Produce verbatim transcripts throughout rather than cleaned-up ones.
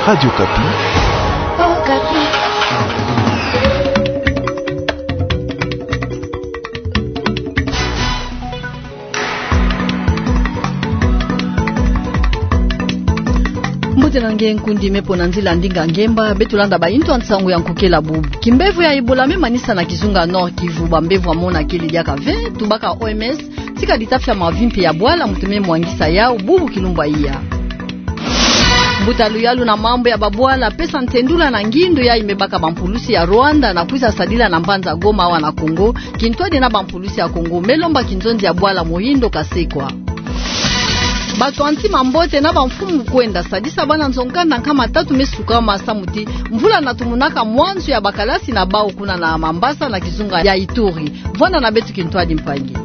Radio Okapi. Okapi. Mbote na nge nkundi, me pona nzila ndinga ngemba, beto landa bahindu ya nsangu ya nkokela bubu. Kimbevo ya Ebola me manisa na kizunga Nord-Kivu, bambevo ya mona kele diaka ve, tubaka O M S, tika ditafi ya mavimpi ya bwala muntu me mwangisa yau bubu kilumbu ya iya. Mbuta luyalu na mambu ya babwala pesa ntendula na ngindu yayi me baka bampulusi ya Rwanda na kwiza sadila na mbanza Goma awa na Congo, kintwadi na bampulusi ya Congo, me lomba kinzonzi ya bwala mohindo kasekwa. Bato ya nti mambote na bamfumu kwenda sadisa bana nzo-nkanda nkama tatu me sukama samu ti mvula na tumunaka mwanzu ya bakalasi na bau kuna na Mambasa na kizunga ya Ituri. Vwanda na beto kintwadi mpangi.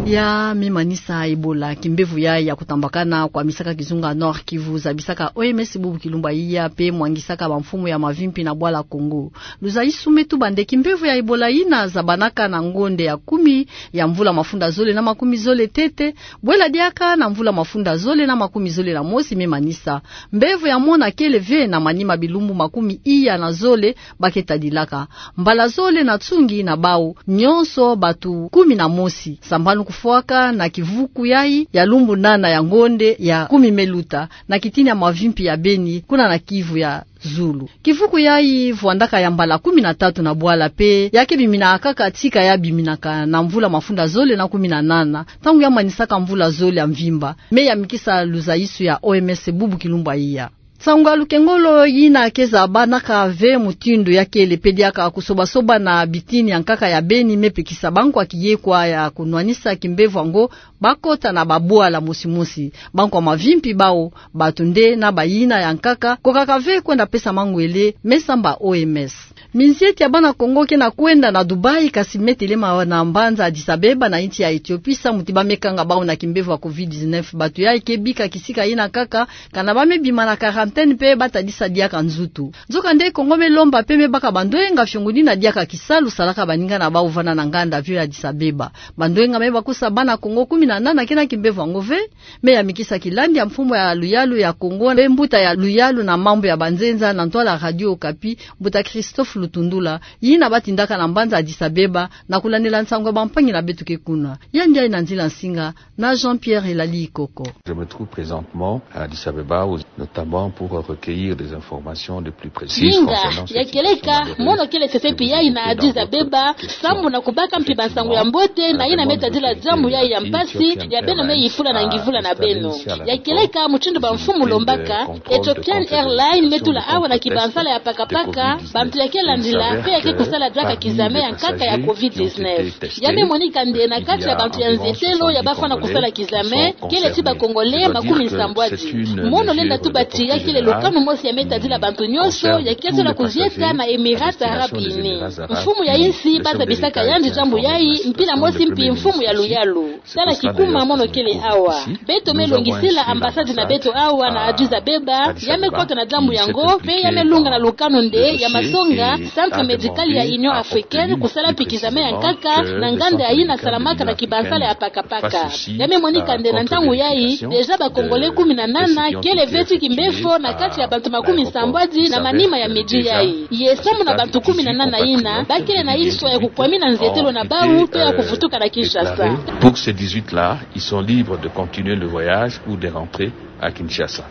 Ya me manisa Ebola, kimbevo yayi ya kutambakana kwamisaka kizunga Nord-Kivu, zabisaka O M S bubu kilumbu ya iya, pe mwangisaka bamfumu ya mavimpi na bwala Congo. Luzaisu me tuba nde kimbevo ya Ebola yina zabanaka na ngonde ya kumi ya mvula mafunda zole na makumi zole ntete, bwela diaka na mvula mafunda zole na makumi zole na mosi me manisa. Mbevo ya mona kele ve na manima bilumbu makumi iya na zole ba ke tadilaka. Mbala zole na nsungi na bau nyonso bato kumi na mosi sambanu kufwaka na kivuku yayi ya lumbu nana ya ngonde ya kumi me luta na kitini ya mavimpi ya Beni, kuna na Kivu ya zulu. Kivuku yayi vwandaka ya mbala kumi na tatu na bwala pe ya ke bimina kaka tika ya biminaka na mvula mafunda zole na kumi na nana, ntangu ya manisaka mvula zole ya mvimba, me yamikisa luzaisu ya O M S bubu kilumbu ya iya. Nsangu ya lukengolo yina ke zabanaka ve mutindu ya kele pe diaka kusobasoba na bitini ya nkaka ya Beni, me pekisa bankwa kiyekwa ya kunwanisa kimbevo yango ba kota na babwala mosimosi. Bankwa mavimpi bau, bato nde na bayina ya nkaka, kokaka ve kwenda pesa mangwele, me samba O M S. Minzieti ya bana Congo ke na kwenda na Dubaï, kasi me telema na mbanza Addis-Abeba na insi ya Ethiopie samu ti ba me kanga bau na kimbevo ya covid dix-neuf. Bato yayi ke bika kisika yina kaka, kana ba me bima na quarantaine pe ba tadisa diaka nzutu. Nzokande Congo me lomba pe me baka bandoyenga fiongo dina diaka kisalu salaka baninga na bau vwanda na nganda avion ya Addis-Abeba. Bandoyenga me bakusa bana Congo kumi na nana ke na kimbevo yango ve, me yamikisa kilandi ya mfumu ya luyalu ya Congo, mpe mbuta ya luyalu na mambu ya banzenza na ntwala Radio Okapi, mbuta Christophe Lutundula, yina ba tindaka na mbanza Addis-Abeba, na kulandila nsangu ya bampangi na beto ke kuna. Yandi yayi na nzila nsinga na Jean-Pierre Elali Ikoko. Je me trouve présentement à Addis-Abeba, où, notamment pour recueillir des informations les plus précises concernant ce qui se passe dans le pays. Mono kele sesepi yayi na Addis-Abeba, sambu na kubaka mpi bansangu ya mbote na yina me tadila diambu yayi ya mpasi, ya beno me yifula na ngivula na beno. Ya kieleka mutindu bamfumu lombaka, Ethiopian Airlines me tula awa na kibansala ya pakapaka bantu ya ke landila, mpe ya ke kusala diaka kizame ya nkaka ya covid dix-neuf. Ya me monika nde na kati ya bantu ya nzetelo ya bafwana kusala kizame, kele ti ba Congolais makumi nsambwadi. Mono lenda tuba ti ya kele lukanu mosi ya me tadila bantu nyonso ya ke zola kuzieta na Emirats Arabes Unis. Mfumu ya insi ba zabisaka yandi diambu yayi, mpila mosi mpi mfumu ya luyalu. Tala kikuma mono kele awa. Beto me longisila ambassade na beto awa na Addis-Abeba, ya me kota na diambu yango, mpe ya me lunga na lukanu nde ya masonga, Centre Médical ya Union Africaine, kusala mpi kizame ya nkaka na nganda ya yina salamaka na kibansala ya pakapaka. Ya me monika nde na ntangu yayi, déjà ba Congolais kumi na nana kele ve ti kimbefo na kati ya bantu makumi nsambwadi na manima ya midi yayi. Ye sambu na bantu kumi na nana yina, ba kele na inswa ya kukwamina nzetelo na bau, to ya kuvutuka na Kinshasa. Pour ces dix-huit-là, ils sont libres de continuer le voyage ou de rentrer à Kinshasa.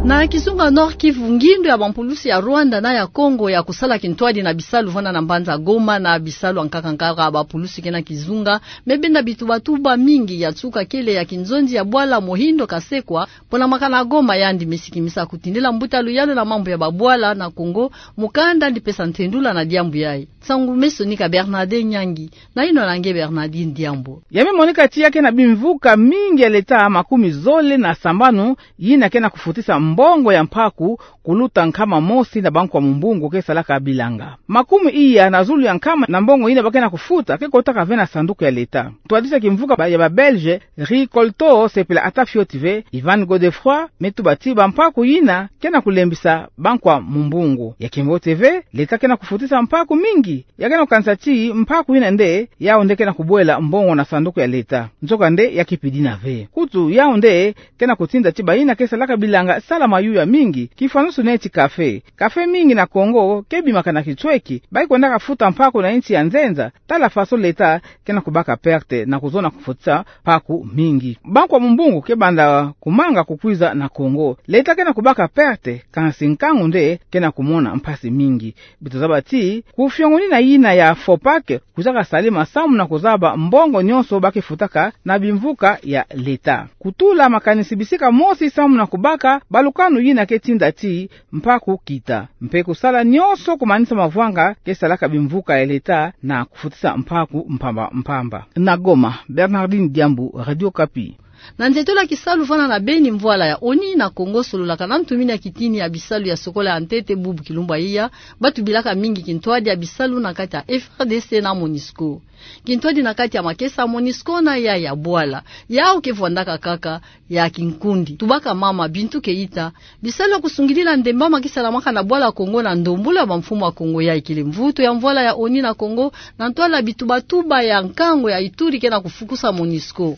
Na kizunga Nord-Kivu, ngindu ya bampulusi ya Rwanda na ya Congo ya kusala kintwadi na bisalu vwanda na mbanza Goma na bisalu ya nkaka nkaka ya bapulusi ke na kizunga, me benda bitubatuba mingi, ya nsuka kele ya kinzonzi ya bwala Muhindo Kasekwa, pona makana Goma, yandi me sikimisa kutindila mbuta luyalu na mambu ya babwala na Congo mukanda, yandi pesa ntendula na diambu yayi. Nsangu me sonika Bernardin Nyangi, na yinwa na nge Bernardin Diambo. Ya me monika ti ya ke na bimvuka mingi ya l'État makumi zole na sambanu, yina ke na kufutisa mbongo ya mpaku kuluta nkama mosi na bankwa mumbungu ke salaka bilanga. Makumi iya na zulu ya nkama na mbongo yina ba ke na kufuta ke kotaka ve na sanduku ya leta. Ntwadisi ya kimvuka ba, ya ba Belge, Ricolto, sepela ata fioti ve, Ivan Godefroid, me tuba ti bampaku yina ke na kulembisa bankwa mumbungu. Ya kimbote ve, leta ke na kufutisa mpaku mingi. Ya ke na kukanisa ti mpaku yina nde, yau nde ke na kubwela mbongo na sanduku ya leta. Nzoka nde ya kipidina ve. Kutu yau nde ke na kutinda ti bayina ke salaka bilanga sala mayuya mingi, kifwanusu neti kafe. Kafe mingi na Kongo ke bimaka na kintweki, bayi kwendaka futa mpaku na insi ya nzenza, tala faso leta ke na kubaka perte na kuzona kufutisa mpaku mingi. Bankwa mumbungu ke banda kumanga kukwiza na Kongo. Leta ke na kubaka perte, kansi nkangu nde ke na kumona mpasi mingi. Beto zaba ti, kufiongonina yina ya FOPAC, kwizaka salama samu na kuzaba mbongo nyonso ba ke futaka na bimvuka ya leta. Kutula makanisi bisika mosi samu na kubaka balukanu yina ke tinda ti mpaku kita. Mpe kusala nyonso kumanisa mavwanga ke salaka bimvuka ya leta na kufutisa mpaku mpamba mpamba. Na Goma, Bernardine Diambu, Radio Okapi. Na nzietolo ya kisalu vana na beni mvwala ya ONI na Kongo sololaka na ntumini ya kitini ya bisalu ya sokola ya ntete bubu kilumbu ya iya, ba tubilaka mingi kintwadi ya bisalu na kati ya FARDC na MONUSCO. Kintwadi na kati ya makesa ya MONUSCO na ya ya bwala. Yau ke vwandaka kaka ya kinkundi. Tubaka mama Bintou Keita, bisalu ya kusungidila ndembama ke salamaka na bwala Kongo na ndombolo ya bamfumu ya Kongo ya ikele mvutu ya mvwala ya ONI na Kongo, na ntwala bitubatuba ya nkangu ya Ituri ke na kufukusa MONUSCO.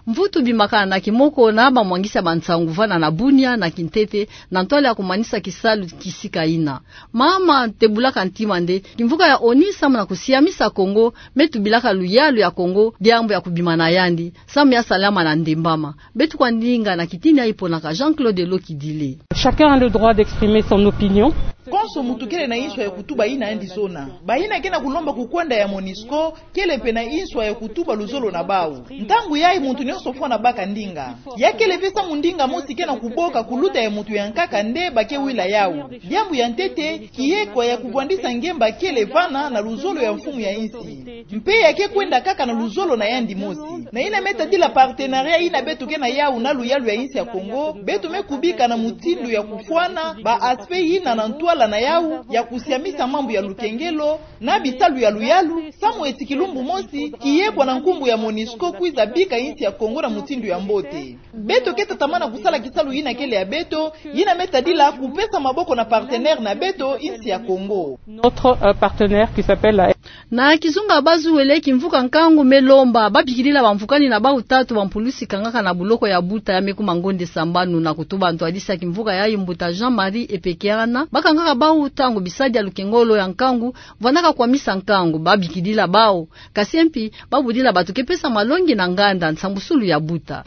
Mvutu bimaka na kimoko na bamwangisi ya bansangu vana na Bunia na kintete, na ntwala ya kumanisa kisalu kisika ina. Mama tebulaka ntima nde kimvuka ya ONI samu na kusiamisa Kongo, me tubilaka luyalu ya Kongo, diambu ya kubima na yandi, samu ya salama na ndembama. Beto kwa ndinga na kitini ya iponaka Jean-Claude Lokidile. Chacun a le droit d'exprimer son opinion. Konso muntu kele na inswa ya kutuba yina yandi zona. Bayina ke na kulomba kukwenda ya MONUSCO, kele mpe na inswa ya kutuba luzolo na bau. Ntangu yayi muntu nyonso fwana baka ndinga. Ya kele mpe samu ndinga mosi ke na kuboka kuluta ya muntu ya nkaka nde ba ke wila yau. Diambu ya ntete, kiekwa ya kuvwandisa ngemba kele vana na luzolo ya mfumu ya insi. Mpe ya ke kwenda kaka na luzolo na yandi mosi. Na yina me tadila partenariat yina beto ke na yau na luyalu ya insi ya Kongo, beto me kubika na mutindu ya kufwana ba aspect yina na ntwala na yau ya kusiamisa mambu ya lukengelo, na bisalu ya luyalu, samu eti kilumbu mosi, kiekwa na nkumbu ya MONUSCO kwiza bika insi ya Kongo na mutindu ya mbote. Beto ke tatamana kusala kisalu yina kele ya beto, yina me tadila kupesa maboko na partenaire na beto, insi ya Kongo. Notre, euh, partenaire qui s'appelle la... Na kizunga bazuwele, kimvuka nkangu me lomba babikidila bamvukani na bau tatu bampulusi kangaka na buloko ya buta ya me kuma ngonde sambanu, na kutuba ntwadisi ya kimvuka yayi mbuta Jean-Marie Epekeana, bakangaka bau ntangu bisadi ya lukengolo ya nkangu vandaka kwamisa nkangu, babikidila bau. Kasi mpi, babudila bato ke pesa malongi na nganda nsambusulu ya buta.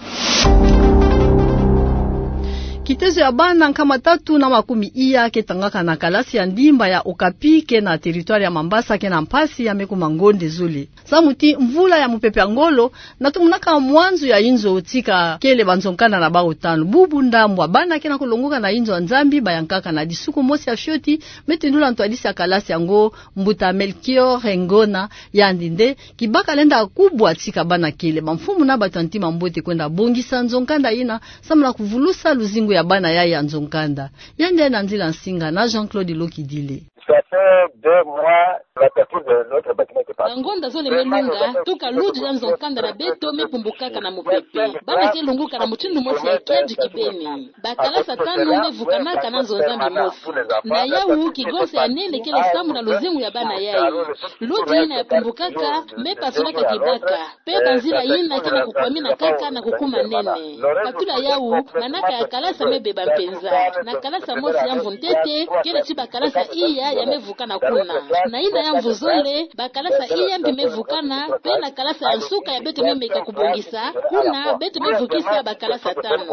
Kitezo ya bana nkama tatu na makumi iya ke tangaka na kalasi ya ndimba ya Okapi ke na territoire ya Mambasa ke na mpasi ya me kuma ngonde zole. Samu ti mvula ya mupepe ya ngolo, na tumunaka mwanzu ya inzo tika kele banzo nkanda na bau tanu. Bubu ndambu ya bana ke na kulongoka na inzo ya Nzambi, bayankaka na disuku mosi ya fioti, me tindula ntwadisi ya kalasi yango, mbuta Melchior Ngona, yandi nde kibaka lenda kubwa tika bana kele bamfumu na bato ya ntima mbote kwenda bongisa nzo nkanda yina, samu na kuvulusa luzingu ya bana yayi ya nzo nkanda. Yandi yena Nzila Nsinga na Jean-Claude Lokidile. Ça fait deux mois, la partie de notre bâtiment était partie. Bangonda zole me lunga, tuka ludu ya nzo nkanda na beto me pumbukaka na mupepe. Bana ke longoka na mutindu mosi ya kiadi kibeni. Bakalasa tanu me vukanaka na nzo Nzambi mosi. Na yau, kigonsa ya nene kele samu na luzingu ya bana yayi. Ludu yina ya pumbukaka, me pasulaka kibaka. Mpe banzila yina ke na kukwamina kaka na kukuma nene. Katula yau, manaka ya kalasa me beba mpenza. Na kalasa mosi ya mvu ntete, kele ti bakalasa iya ya me vukana kuna. Na yina ya mvu zole, bakalasa iya mbi me vukana, mpe na kalasa ya nsuka ya beto me meka kubongisa, kuna beto me vukisa bakalasa tanu.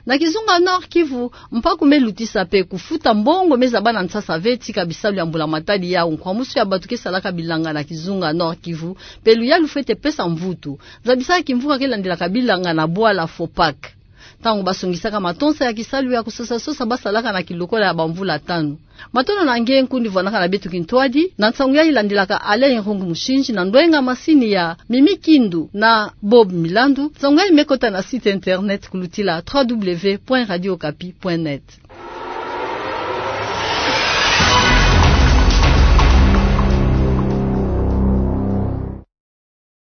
Na kizunga Nord-Kivu, mpaku me lutisa mpe kufuta mbongo me zaba na nsasa ve tika bisalu ya mbula matadi yau, nkwamusu ya bato ke salaka bilanga na kizunga Nord-Kivu, mpe luyalu fwete pesa mvutu. Zabisa kimvuka ke landilaka bilanga na bwala FOPAC. ntango basungisaka matonsa ya kisalu ya kusosasosa basalaka na kilokola ya bamvula tanu. Matondo na nge nkundi vwanaka na beto kintwadi na nsangu yayi landilaka Alain Irungu Mushinji na ndwenga masini ya Mimi Kindu na Bob Milandu. Nsangu yayi mekota na site internet kulutila trois W point radio okapi point net.